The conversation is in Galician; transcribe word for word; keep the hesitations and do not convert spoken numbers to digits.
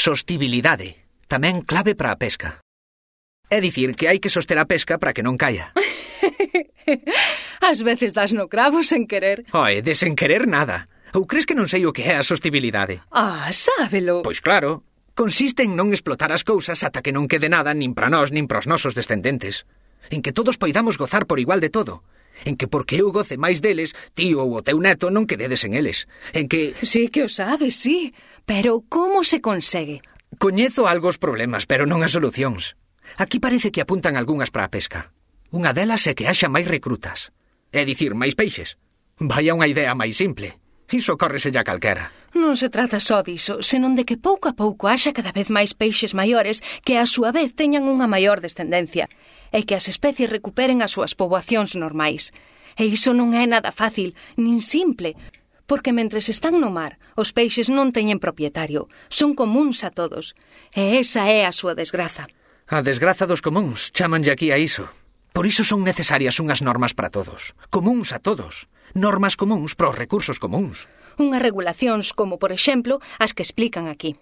Sostibilidade, tamén clave para a pesca. É dicir, que hai que soster a pesca para que non caia. Ás veces das no cravo sen querer. Oe, de sen querer nada. Ou crees que non sei o que é a sostibilidade? Ah, sábelo. Pois claro, consiste en non explotar as cousas ata que non quede nada nin para nós nin para os nosos descendentes. En que todos poidamos gozar por igual de todo. En que porque eu goce máis deles, ti ou o teu neto non quededes en eles. En que... Sí que o sabes, sí. Pero como se consegue? Coñezo algo os problemas, pero non as solucións. Aquí parece que apuntan algunhas para a pesca. Unha delas é que haxa máis recrutas. É dicir, máis peixes. Vai a unha idea máis simple. Iso córreselle a calquera. Non se trata só diso, senón de que pouco a pouco haxa cada vez máis peixes maiores que a súa vez teñan unha maior descendencia e que as especies recuperen as súas poboacións normais. E iso non é nada fácil, nin simple, porque mentres están no mar, os peixes non teñen propietario, son comúns a todos, e esa é a súa desgraza. A desgraza dos comúns, chamanlle aquí a iso. Por iso son necesarias unhas normas para todos, comúns a todos, normas comúns para os recursos comúns. Unhas regulacións como, por exemplo, as que explican aquí.